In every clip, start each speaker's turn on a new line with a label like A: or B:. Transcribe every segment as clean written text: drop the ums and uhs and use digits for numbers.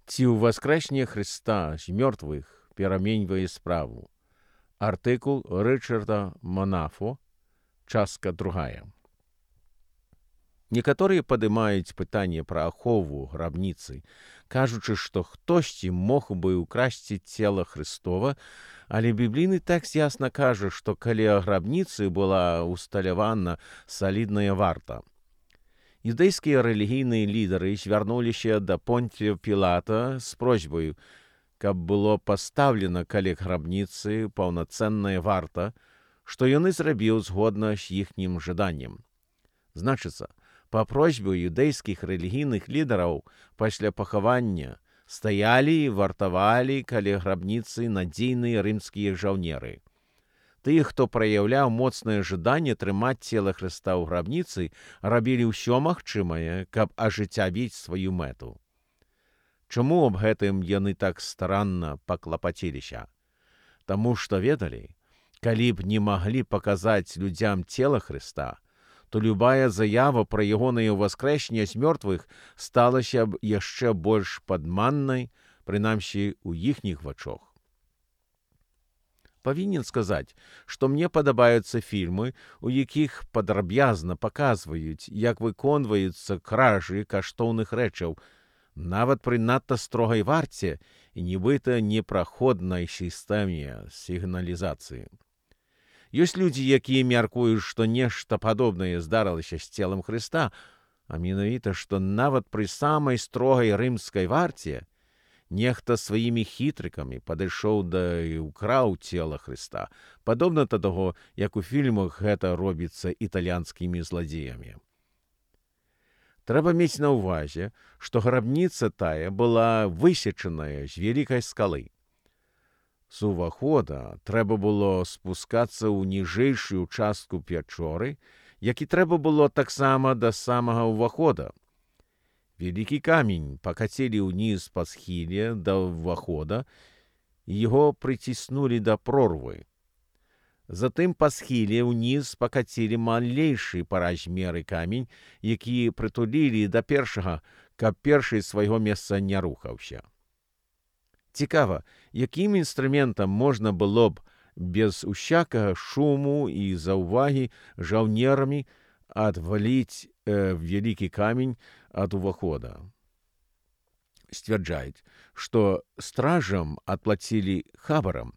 A: Ці ўваскрэсне Хрыста з мёртвых пераменьвае справу. Артыкул Рычарда Манафо, частка 2. Некаторыя падымаюць пытанне пра ахову грабніцы, кажучы, што хтосьці мог бы ўкрасці цела Хрыстова, але біблійны тэкст ясна кажа, што каля грабніцы была усталявана салідная варта. Юдэйскія рэлігійныя лідары звярнуліся да Понтія Пілата з просьбаю, каб было пастаўлена каля грабніцы паўнацэнная варта, што ён і зрабіў згодна з іхнім жаданнем. Значыцца, па просьбе юдэйскіх рэлігійных лідараў пасля пахавання стаялі і вартавалі каля грабніцы надзейныя рымскія жаўнеры. Тыя, хто праяўляў моцнае жаданне трымаць цела Хрыста ў грабніцы, рабілі ўсё магчымае, каб ажыццявіць сваю мэту. Чаму аб гэтым яны так старанна паклапаціліся? Таму што ведалі, калі б не маглі паказаць людзям цела Хрыста, то любая заява пра ягонае ўваскрэсенне з мёртвых сталася б яшчэ больш падманнай, прынамсі ў іхніх вачах. Павінен сказаць, што мне падабаюцца фільмы, у якіх падрабязна паказваюць, як выконваюцца кражы каштоўных рэчаў, нават пры надта строгай варце і нібыта непраходнай сістэме сігналізацыі. Ёсць людзі, якія мяркуюць, што нешта падобнае здарылася з целам Хрыста, а менавіта, што нават пры самай строгай рымскай варце нехта сваімі хітрыкамі падышоў да і ўкраў цела Хрыста, падобна да таго, як у фільмах гэта робіцца італьянскімі зладзеямі. Трэба мець на ўвазе, што грабніца тая была высечаная з вялікай скалы. З увахода трэба было спускацца ў ніжэйшую частку пячоры, як і трэба было таксама да самага ўвахода. Вялікі камень пакацілі ўніз па схіле да ўвахода, і яго прыціснулі да прорвы. Затым па схіле ўніз пакацілі малейшы па размеры камень, які прытулілі да першага, каб першы свайго месца не рухаўся. Цікава, якім інструментам можна было б без усякага шуму і заўвагі жаўнерамі адваліць вялікі камень ад увахода. Сцвярджаюць, што стражам адплацілі хабарам,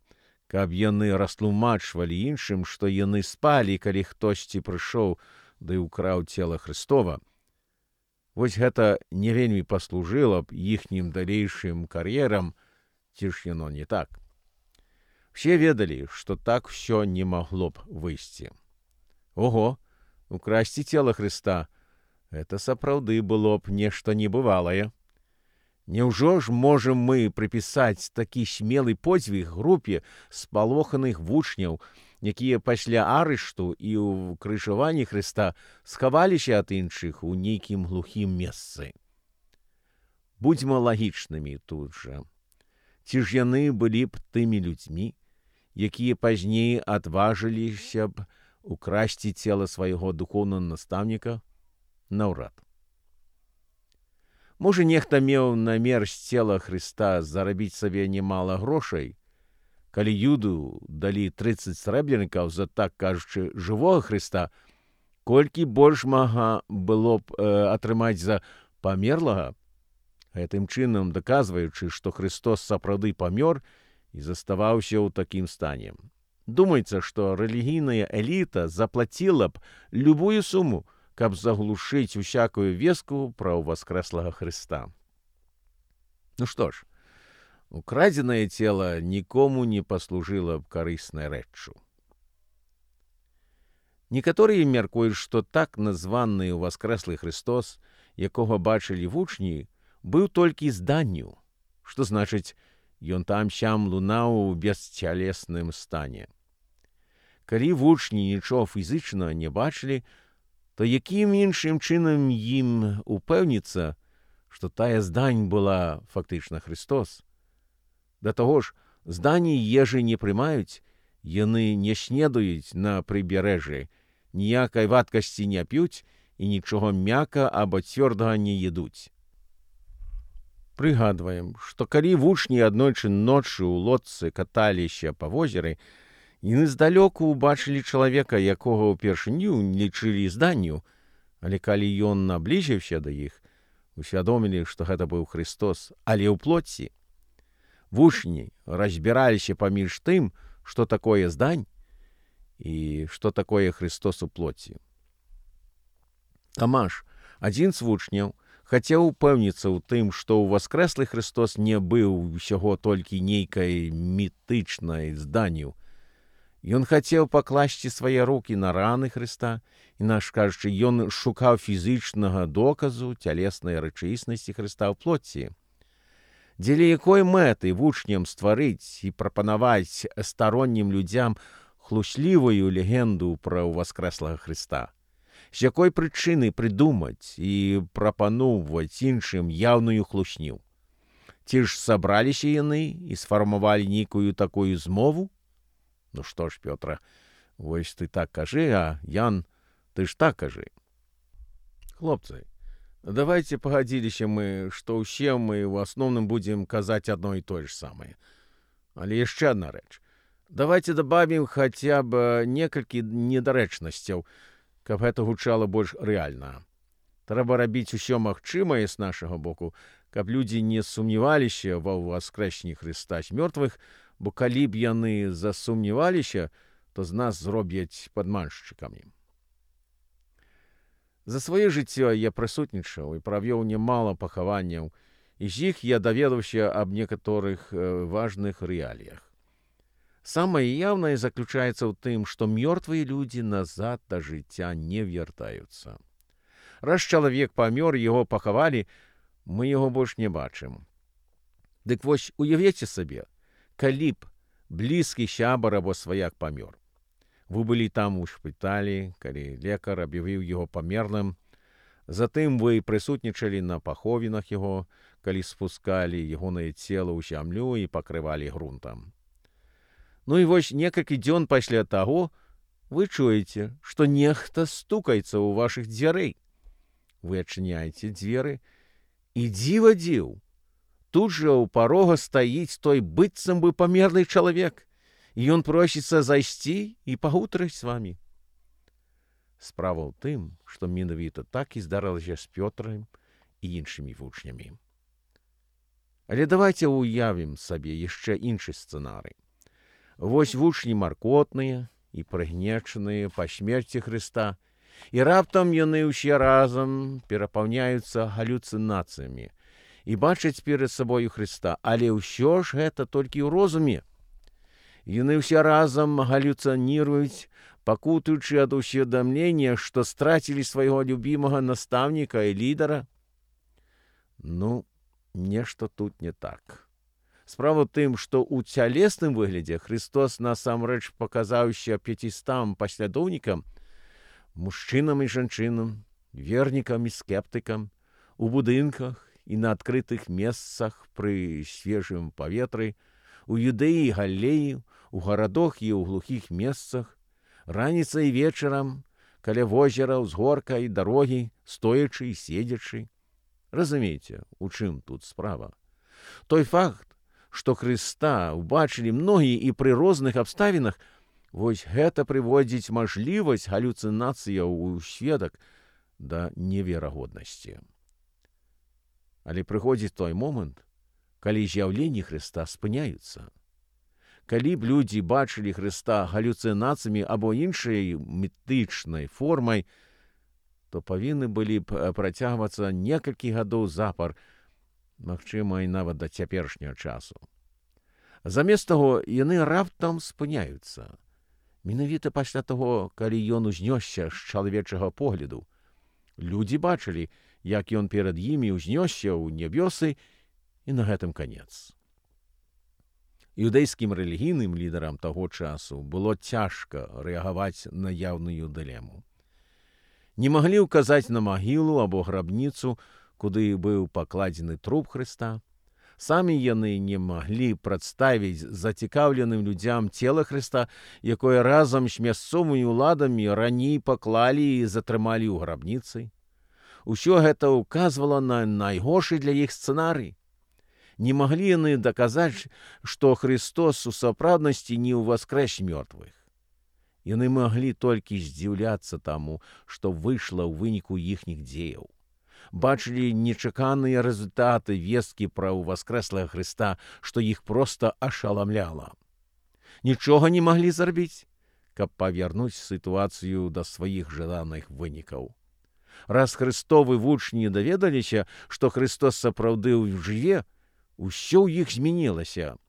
A: каб яны растлумачвалі іншым, што яны спалі, калі хтосьці прыйшоў ды ўкраў цела Хрыстова. Вось гэта не вельмі паслужыла б іхнім далейшым кар'ерам, ці ж яно не так. Все ведалі, што так усё не магло б выйсці. Ого, украсці цела Хрыста — гэта сапраўды было б нешта небывалае. Няўжо ж можам мы прыпісаць такі смелы подзвіг групе спалоханых вучняў, якія пасля арышту і ўкрыжаванні Хрыста схаваліся ад іншых у нейкім глухім месцы? Будзьма лагічнымі тут жа. Ці ж яны былі б тымі людзьмі, якія пазней адважыліся б украсці цела свайго духоўнага настаўніка? Наўрад. Можа, нехта меў намер з цела Хрыста зарабіць сабе немала грошай, калі Юду далі 30 срэбнікаў за, так кажучы, жывога Хрыста, колькі больш мага было б атрымаць за памерлага, гэтым чынам даказваючы, што Хрыстос сапраўды памёр і заставаўся ў такім стане. Думаецца, што рэлігійная эліта заплаціла б любую суму, каб заглушыць усякую вестку пра ўваскрэслага Хрыста. Ну што ж, украдзенае цела нікому не паслужыла б карыснай рэччу. Некаторыя мяркуюць, што так названы ўваскрэслы Хрыстос, якога бачылі вучні, быў толькі зданню, што значыць, ён там-сям лунаў у бесцялесным стане. Калі вучні нічого фізычна не бачылі, то якім іншым чынам ім упэўніцца, што тая здань была фактычна Христос? Да таго ж, здані ежы не прымаюць, яны не снедаюць на прыбярэжжы, ніякай вадкасці не п'юць і нічога м'яка або цвёрдага не едуць. Прыгадваем, што калі вучні аднойчы ноччу ў лодцы каталіся па возеры, яны здалёку ўбачылі чалавека, якога ўпершыню лічылі зданню, але калі ён набліжыўся да іх, усвядомілі, што гэта быў Христос, але ў плоці. Вучні разбіраліся паміж тым, што такое здань і што такое Христос у плоці. Тамаш, адзін з вучняў, хацеў упэўніцца ў тым, што ў воскрэслы Христос не быў усяго толькі нейкай мітычнай зданню. Ён хацеў пакласці свае рукі на раны Христа, інакш кажучы, ён шукаў фізычнага доказу цялеснай рэчаіснасці Христа ў плоці. Дзеля якой мэты вучням стварыць і прапанаваць староннім людзям хлуслівую легенду пра воскрэслага Христа? З якой прычыны прыдумаць і прапаноўваць іншым яўную хлусню? Ці ж сабраліся яны і сфармавалі нейкую такую змову? Ну што ж, Пётра, вось ты так кажы, а Ян, ты ж так кажы. Хлопцы, давайте пагадзіліся мы, што ўсе мы ў асноўным будзем казаць адно і тое ж самае. Але яшчэ адна рэч. Давайте дабавім хаця б некалькі недарэчнасцяў, каб гэта гучала больш рэальна. Трэба рабіць усё магчымае з нашага боку, каб людзі не сумняваліся ва ўваскрэсенні Хрыста з мёртвых, бо калі б яны засумняваліся, то з нас зробяць падманшчыкамі. За сваё жыццё я прысутнічаў і правёў нямала пахаванняў, і з іх я даведаўся аб некаторых важных рэаліях. Самае яўнае заключаецца ў тым, што мёртвыя людзі назад да жыцця не вяртаюцца. Раз чалавек памёр, яго пахавалі, мы яго больш не бачым. Дык вось уявіце сабе, калі б блізкі сябар або сваяк памёр. Вы былі там у шпіталі, калі лекар аб'явіў яго памерлым, затым вы прысутнічалі на паховінах яго, калі спускалі ягонае цела ў зямлю і пакрывалі грунтам. Ну і вось некалькі дзён пасля таго вы чуеце, што нехта стукаецца ў вашых дзвярэй. Вы адчыняеце дзверы, і дзіва дзіў. Тут жа ў парога стаіць той быццам бы памерлы чалавек, і ён просіцца зайсці і пагутарыць з вамі. Справа ў тым, што менавіта так і здарылася з Пётрам і іншымі вучнямі. Але давайте уявім сабе яшчэ іншы сцэнарый. Вось вучні маркотныя і прыгнечаныя па смерці Хрыста, і раптам яны ўсе разам перапаўняюцца галюцынацыямі і бачаць перад сабою Хрыста, але ўсё ж гэта толькі ў розуме. Яны ўсе разам галюцыніруюць, пакутуючы ад усведамлення, што страцілі свайго любімага настаўніка і лідара. Ну, нешта тут не так. Справа ў тым, што ў цялесным выглядзе Христос насамрэч паказаўся 500 паслядоўнікам, мужчынам і жанчынам, вернікам і скептыкам, у будынках і на адкрытых месцах пры свежым паветры, у Юдэі і Галілеі, у гарадах і ў глухіх месцах, раніцай і вечарам, каля возера, ўзгорка і дарогі, стоячы і седзячы. Разумееце, у чым тут справа? Той факт, што Хрыста ўбачылі многія і пры розных абставінах, вось гэта прыводзіць мажлівасць галюцынацыяў у сведак да неверагоднасці. Але прыходзіць той момант, калі з'яўленні Хрыста спыняюцца. Калі б людзі бачылі Хрыста галюцынацыямі або іншай мітычнай формай, то павінны былі б працягвацца некалькі гадоў запар, магчыма, і нават да цяперашняга часу. Замест таго, яны раптам спыняюцца. Менавіта пасля таго, калі ён узнёсся з чалавечага погляду. Людзі бачылі, як ён перад імі ўзнёсся ў нябёсы, і на гэтым канец. Іўдэйскім рэлігійным лідарам таго часу было цяжка рэагаваць на яўную дылему. Не маглі ўказаць на магілу або грабніцу, куды быў пакладзены труп Хрыста. Самі яны не маглі прадставіць зацікаўленым людзям цела Хрыста, якое разам з мясцовымі ўладамі раней паклалі і затрымалі ў грабніцы. Усё гэта ўказвала на найгоршы для іх сцэнарый. Не маглі яны даказаць, што Христос у сапраўднасці не ўваскрэс мёртвых. Яны маглі толькі здзіўляцца таму, што выйшла ў выніку іхніх дзеяў. Бачылі нечаканыя рэзультаты весткі пра ўваскрэслага Хрыста, што іх проста ашаламляла. Нічога не маглі зрабіць, каб павярнуць сітуацыю да сваіх жаданых вынікаў. Раз Христовы вучні даведаліся, што Христос сапраўды жыве, усё ў іх змянілася.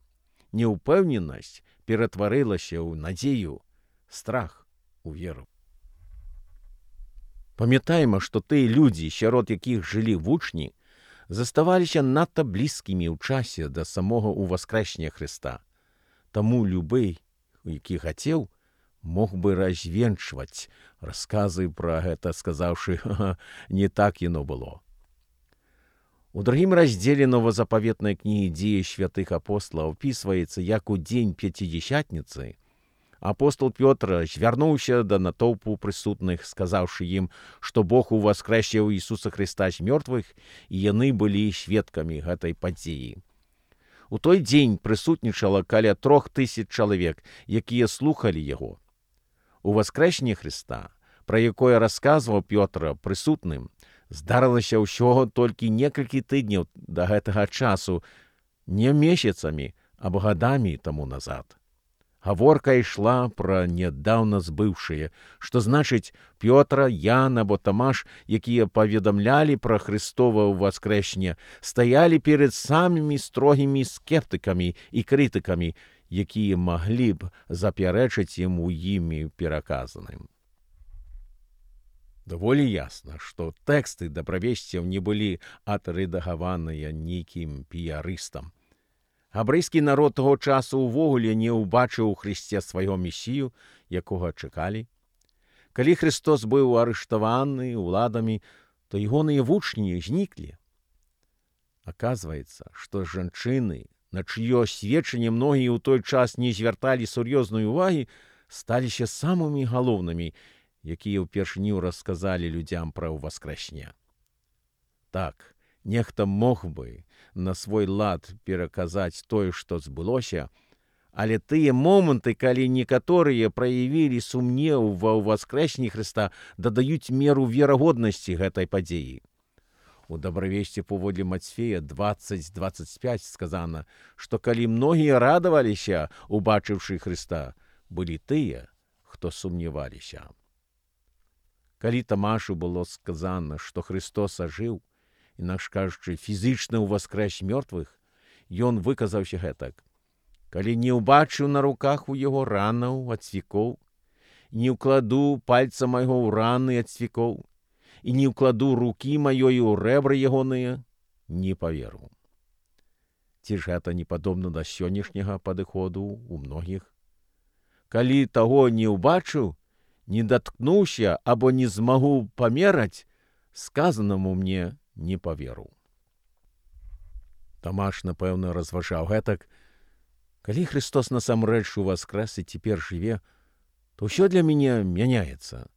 A: Неўпэўненасць ператварылася ў надзею, страх у веру. Памятаем, што тыя людзі, сярод якіх жылі вучні, заставаліся надта блізкімі ў часе да самога ўваскрэсення Хрыста. Таму любы, які хацеў, мог бы развенчваць расказы пра гэта, сказаўшы: «Не так яно было». У другім раздзеле новазапаветнай кнігі «Дзеі святых апосталаў» опісваецца, як у дзень Пяцідзесятніцы апостол Пётр звярнуўся да натоўпу прысутных, сказаўшы ім, што Бог уваскрэсіў Ісуса Хрыста з мёртвых, і яны былі сведкамі гэтай падзеі. У той дзень прысутнічала каля 3000 чалавек, якія слухалі яго. Уваскрэсенне Хрыста, пра якое расказваў Пётр прысутным, здарылася ўсё толькі некалькі тыдняў да гэтага часу, не месяцамі, а гадамі таму назад. Гаворка ішла пра нядаўна збыўшае, што значыць Пётра, Ян або Тамаш, якія паведамлялі пра Хрыстова ўваскрэсенне, стаялі перад самымі строгімі скептыкамі і крытыкамі, якія маглі б запярэчыць ім у імі пераказаным. Даволі ясна, што тэксты дабравесцяў не былі адрэдагаваныя нейкім піярыстам. Габрэйскі народ таго часу ўвогуле не ўбачыў у Хрысце свайго месію, якога чакалі. Калі Христос быў арыштаваны ўладамі, то ягоныя вучні зніклі. Аказваецца, што жанчыны, на чыё сведчанне многія ў той час не звярталі сур'ёзнай увагі, сталіся самымі галоўнымі, якія ўпершыню расказалі людзям пра ўваскрэсенне. Так, нехта мог бы на свой лад пераказаць тое, што збылося, але тыя моманты, калі некаторыя праявілі сумнеў ва ўваскрэсенні Хрыста, дадаюць меру верагоднасці гэтай падзеі. У добравесці паводле Мацфея 20:25 сказана, што калі многія радаваліся, убачыўшы Хрыста, былі тыя, хто сумняваліся. Калі Тамашу было сказана, што Христос ажыў, інакш кажучы, фізічна ўваскрэс мёртвых, ён выказаўся гэтак: «Калі не ўбачыў на руках у яго ранаў ад цвікоў, не ўкладу пальца майго ў раны ад цвікоў, і не ўкладу рукі маёй у рэбры ягоныя, не паверу». Ці ж гэта не падобна да сённяшняга падыходу ў многіх? Калі таго не ўбачыў, не даткнуўся або не змагу памераць, сказанаму мне не паверу. Тамаш, напэўна, разважаў гэтак: калі Христос насамрэч уваскрэс і цяпер жыве, то ўсё для мяне мяняецца.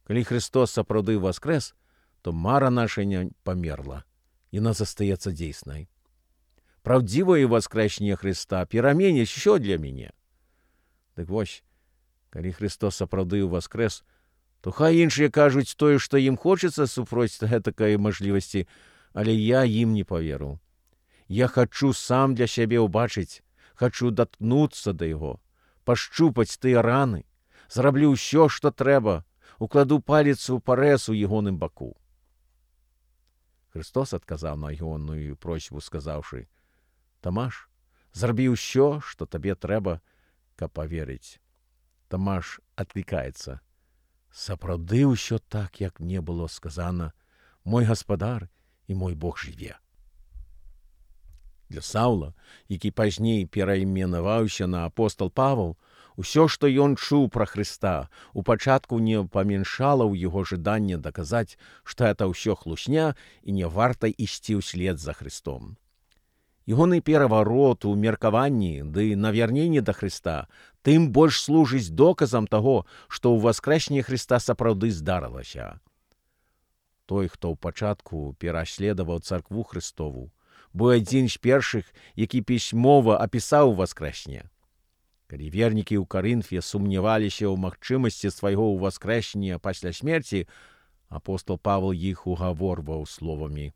A: Калі Христос сапраўды воскрэс, то мара наша не памерла, яна застаецца дзейснай. Праўдзівае воскрэсенне Христа пераменіць усё для мяне. Дык вось, калі Христос сапраўды воскрэс, то хай іншыя кажуць тое, што ім хочацца супроць гэтакай мажлівасці, але я ім не паверу. Я хачу сам для сябе ўбачыць, хачу даткнуцца да яго, пашчупаць тыя раны, зраблю ўсё, што трэба, укладу палец у парэз у ягоным баку. Христос адказаў на ягоную просьбу, сказаўшы: «Тамаш, зрабі ўсё, што табе трэба, каб паверыць». Тамаш адклікаецца: «Сапраўды ўсё так, як мне было сказана, мой гаспадар і мой Бог жыве». Для Саўла, які пазней перайменаваўся на апостал Павел, усё, што ён чуў пра Хрыста, у пачатку не паменшала ў яго жаданне даказаць, што гэта ўсё хлусня і не варта ісці ўслед за Христом. Ягоны пераварот у меркаванні ды навярненне да Хрыста тым больш служыць доказам таго, што ўваскрэсенне Хрыста сапраўды здарылася. Той, хто ў пачатку пераследаваў царкву Христову, быў адзін з першых, які пісьмова апісаў воскрэсне. Калі вернікі ў Карынфе сумняваліся ў магчымасці свайго ўваскрэсення пасля смерці, апостол Павел іх угаворваў словамі: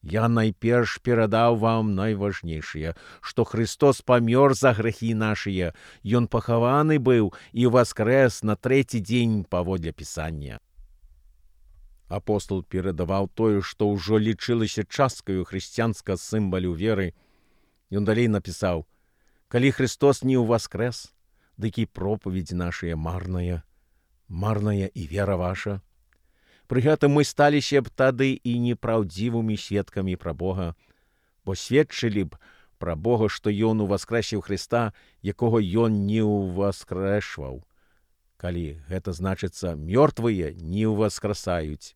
A: «Я найперш перадаў вам найважнейшае, што Христос памёр за грахі нашыя, Ён пахаваны быў і воскрэс на трэці дзень паводле Пісання». Апостол перадаваў тое, што ўжо лічылася часткаю хрысціянскага сімвалю веры. Ён далей напісаў: «Калі Христос не ўваскрэс, дык і пропаведь нашая марная, марная і вера ваша». Пры гэтым мы сталіся б тады і непраўдзівымі сведкамі пра Бога, бо сведчылі б пра Бога, што Ён уваскрэсіў Христа, якога Ён не ўваскрэшваў. Калі гэта значыцца, мёртвыя не ўваскрасаюць.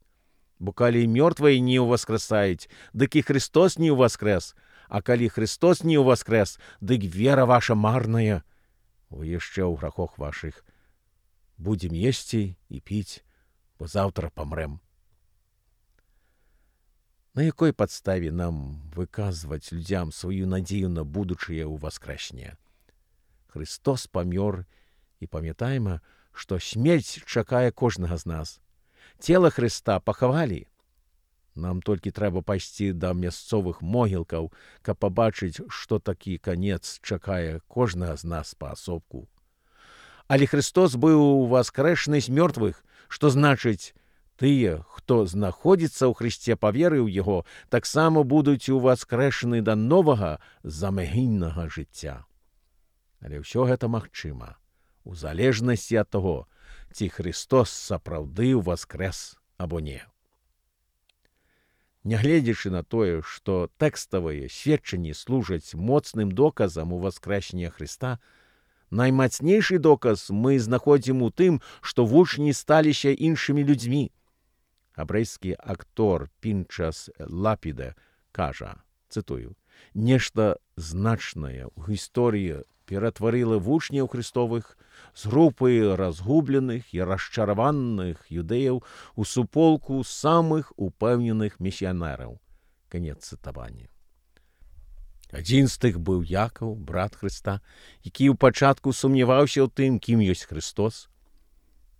A: Бо калі мёртвыя не ўваскрасаюць, дык і Христос не ўваскрэс, а калі Христос не ўваскрэс, дык вера ваша марная. Вы яшчэ ў грахах вашых. Будзем есці і піць, бо заўтра памрэм. На якой падставе нам выказваць людзям сваю надзею на будучае ўваскрэсне? Христос памёр, і памятаем, што смерць чакае кожнага з нас. Цела Христа пахавалі. Нам толькі трэба пайсці да мясцовых могілкаў, каб пабачыць, што такі канец чакае кожнага з нас паасобку. Але Христос быў воскрэсны з мёртвых, што значыць, тыя, хто знаходзіцца ў Христе па веры ў Яго, таксама будуць уваскрэшаны да новага замагільнага жыцця. Але ўсё гэта магчыма, у залежнасці ад таго, ці Христос сапраўды ўваскрэс або не. Нягледзячы на тое, што тэкставыя сведчанні служаць моцным доказам уваскрэсення Христа, наймацнейшы доказ мы знаходзім у тым, што вучні сталіся іншымі людзьмі. Габрэйскі актор Пінчас Лапіда кажа, цытую: «Нешта значнае ў гісторыі ператварыла вучняў Христовых з групы разгубленых і расчараваных юдэяў у суполку самых упэўненых місіянераў». Канец цытавання. Адзін з тых быў Якаў, брат Хрыста, які ў пачатку сумняваўся ў тым, кім ёсць Христос.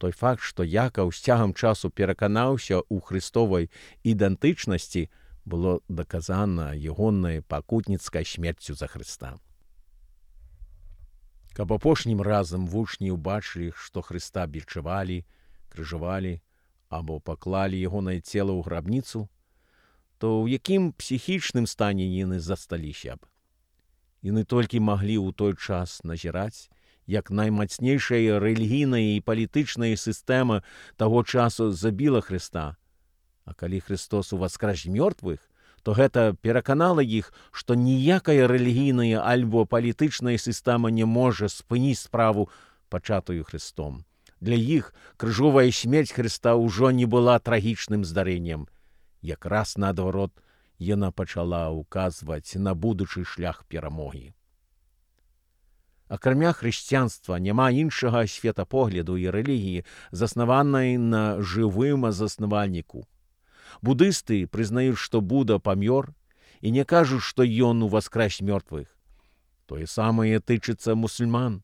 A: Той факт, што Якаў з цягам часу пераканаўся ў Христовай ідэнтычнасці, было даказана ягонай пакутніцкай смерцю за Христа. Каб апошнім разам вучні ўбачылі, што Христа бичавалі, крыжавалі або паклалі ягонае цела ў грабніцу, то ў якім псіхічным стане яны засталіся б? Яны толькі маглі ў той час назіраць, як наймацнейшая рэлігійная і палітычная сістэма таго часу забіла Христа. А калі Христос уваскрэс мёртвых, то гэта пераканала іх, што ніякая рэлігійная альбо палітычная сістэма не можа спыніць справу, пачатую Христом. Для іх крыжовая смерць Христа ўжо не была трагічным здарэннем. Якраз наадварот, яна пачала ўказваць на будучы шлях перамогі. Акрамя хрысціянства няма іншага светапогляду і рэлігіі, заснаванай на жывым заснавальніку. Будысты прызнаюць, што Буда памёр, і не кажуць, што ён уваскрэс мёртвых. Тое самае тычыцца мусульман.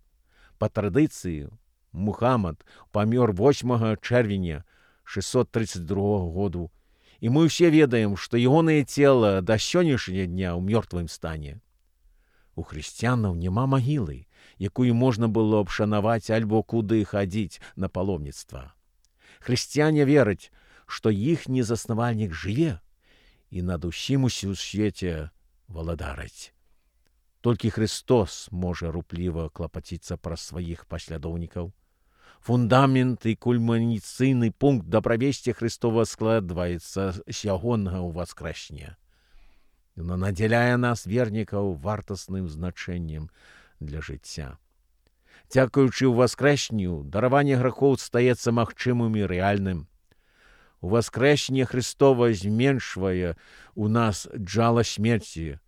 A: Па традыцыі, Мухаммад памёр 8 чэрвеня 632 году, і мы ўсе ведаем, што ягонае цела да сённяшняга дня ў мёртвым стане. У хрысціянаў няма магілы, якую можна было б шанаваць альбо куды хадзіць на паломніцтва. Хрысціяне вераць, што іхні заснавальнік жыве і над усім у свеце валадарыць. Толькі Христос можа рупліва клапаціцца пра сваіх паслядоўнікаў. Фундамент і кульмінацыйны пункт дабравесці Христова складваецца з ягонага ўваскрэсення. Яна надзяляе нас, вернікаў, вартасным значэннем для жыцця. Дзякуючы ўваскрэсню, дараванне грахоў стаецца магчымым і рэальным. Уваскрэсенне Христова зменшвае у нас джала смерці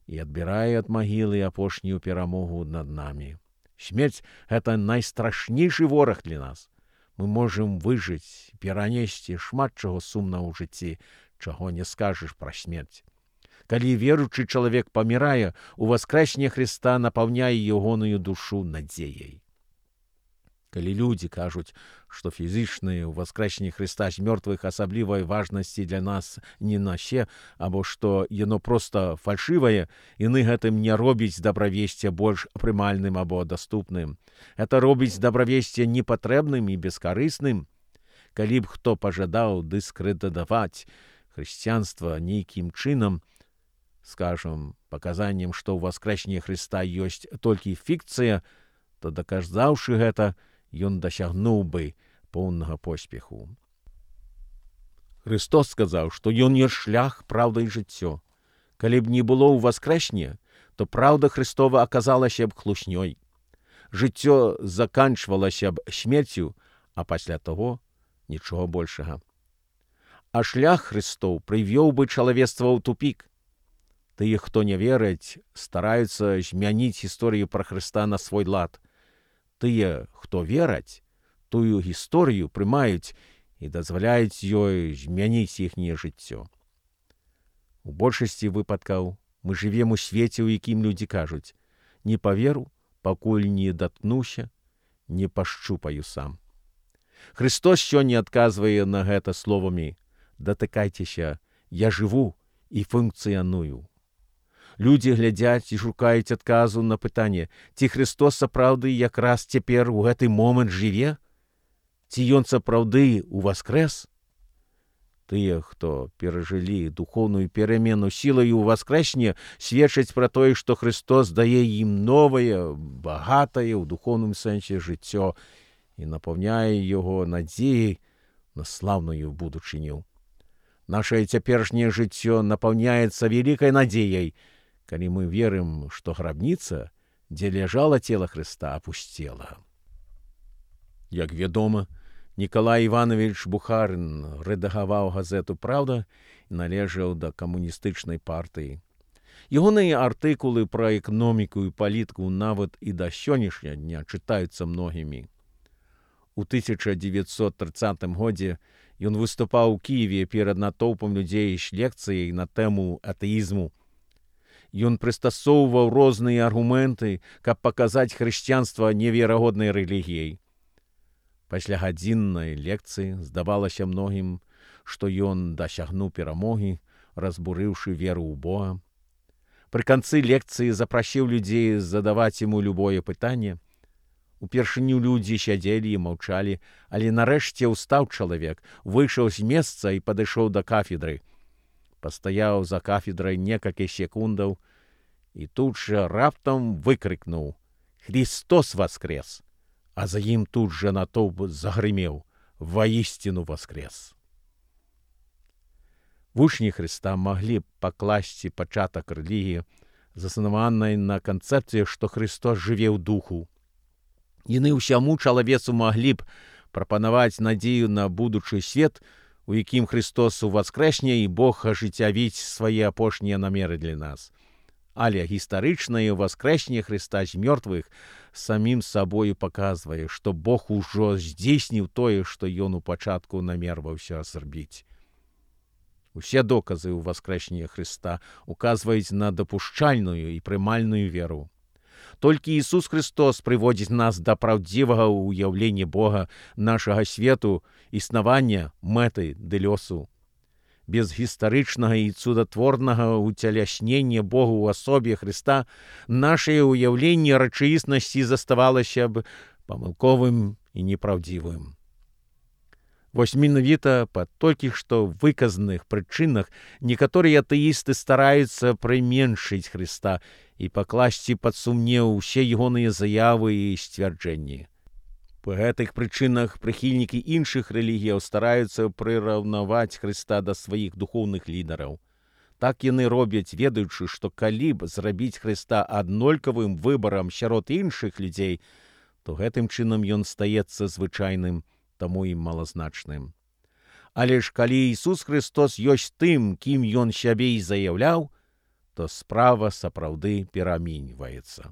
A: і адбірае ад магілы апошнюю перамогу над намі. Смерць — гэта найстрашнейшы вораг для нас. Мы можам выжыць, перанесці шмат чаго сумнага ў жыцці, чаго не скажаш пра смерць. Калі веруючы чалавек памірае, уваскрэсне Хрыста напаўняе ягоную душу надзеяй. Калі людзі кажуць, што фізычнае ўваскрэсне Хрыста з мёртвых асаблівай важнасці для нас не насе, або што яно проста фальшывае, яны гэтым не робіць дабравесце больш прымальным або даступным. Гэта робіць дабравесце непатрэбным і бескарысным. Калі б хто пажадаў дыскрэдытаваць хрысціянства нейкім чынам, скажам, паказаннем, што ўваскрэсне Хрыста ёсць толькі фікцыя, то, даказаўшы гэта, ён дасягнуў бы поўнага поспеху. Христос сказаў, што ён ёсць шлях, праўда і жыццё. Калі б не было ўваскрэсне, то праўда Христова аказалася б хлуснёй. Жыццё заканчвалася б смерцю, а пасля таго нічога большага. А шлях Христоў прывёў бы чалавецтва ў тупік. Тыя, хто не вераць, стараюцца змяніць гісторыю пра Хрыста на свой лад. Тыя, хто вераць, тую гісторыю прымаюць і дазваляюць ёй змяніць іхняе жыццё. У большасці выпадкаў мы жывем у свеце, у якім людзі кажуць: «Не паверу, пакуль не даткнуся, не пашчупаю сам». Христос сёння адказвае на гэта словамі: «Датыкайцеся, я жыву і функцыяную». Людзі глядзяць і шукаюць адказу на пытанне, ці Христос сапраўды якраз цяпер у гэты момант жыве? Ці ён сапраўды уваскрэс? Тыя, хто перажылі духоўную перамену сілаю ўваскрэсне, сведчаць пра тое, што Христос дае ім новае, багатае ў духоўным сэнсе жыццё і напаўняе яго надзеяй на слаўную будучыню. Нашае цяперашняе жыццё напаўняецца вялікай надзеяй, калі мы верым, што грабніца, дзе ляжала цела Хрыста, апусцела. Як вядома, Нікалай Іванович Бухарын рэдагаваў газету «Праўда» і належаў да камуністычнай партыі. Ягоныя артыкулы пра эканоміку і палітыку нават і да сённяшняга дня чытаюцца многімі. У 1930 годзе ён выступаў у Кіеве перад натоўпам людзей з лекцыяй на тэму атэізму. Ён прыстасоўваў розныя аргументы, каб паказаць хрысціянства неверагоднай рэлігіяй. Пасля гадзіннай лекцыі здавалася многім, што ён дасягнуў перамогі, разбурыўшы веру ў Бога. Пры канцы лекцыі запрасіў людзей задаваць яму любое пытанне. Упершыню людзі сядзелі і маўчалі, але нарэшце ўстаў чалавек, выйшаў з месца і падышоў да кафедры. Пастаяў за кафедрай некалькі секундаў і тут жа раптам выкрыкнуў: «Христос воскрес!» А за ім тут жа натоўп загрымеў: «Воістину воскрес!» Вучні Хрыста маглі б пакласці пачатак рэлігіі, заснаванай на канцэпцыі, што Христос жыве ў духу. Яны ўсяму чалавецу маглі б прапанаваць надзею на будучы свет, у якім Христос уваскрэсне і Бог ажыццявіць свае апошнія намеры для нас. Але гістарычнае ўваскрэсне Хрыста з мёртвых самім сабою паказвае, што Бог ужо здзейсніў тое, што ён у пачатку намерваўся зрабіць. Усе доказы ўваскрэсення Хрыста указваюць на дапушчальную і прымальную веру. Толькі Ісус Христос прыводзіць нас да праўдзівага ўяўлення Бога, нашага свету, існавання, мэты ды лёсу. Без гістарычнага і цудатворнага ўцяляснення Богу ў асобе Хрыста нашае ўяўленне рэчаіснасці заставалася б памылковым і непраўдзівым. Вось менавіта па толькі што выказаных прычынах некаторыя атэісты стараюцца прыменшыць Хрыста і пакласці пад сумнеў усе ягоныя заявы і сцвярджэнні. Па гэтых прычынах прыхільнікі іншых рэлігіяў стараюцца прыраўнаваць Хрыста да сваіх духоўных лідараў. Так яны робяць, ведаючы, што калі б зрабіць Хрыста аднолькавым выбарам сярод іншых людзей, то гэтым чынам ён стаецца звычайным, таму і малазначным. Але ж калі Ісус Христос ёсць тым, кім ён сябе і заяўляў, то справа сапраўды пераменьваецца.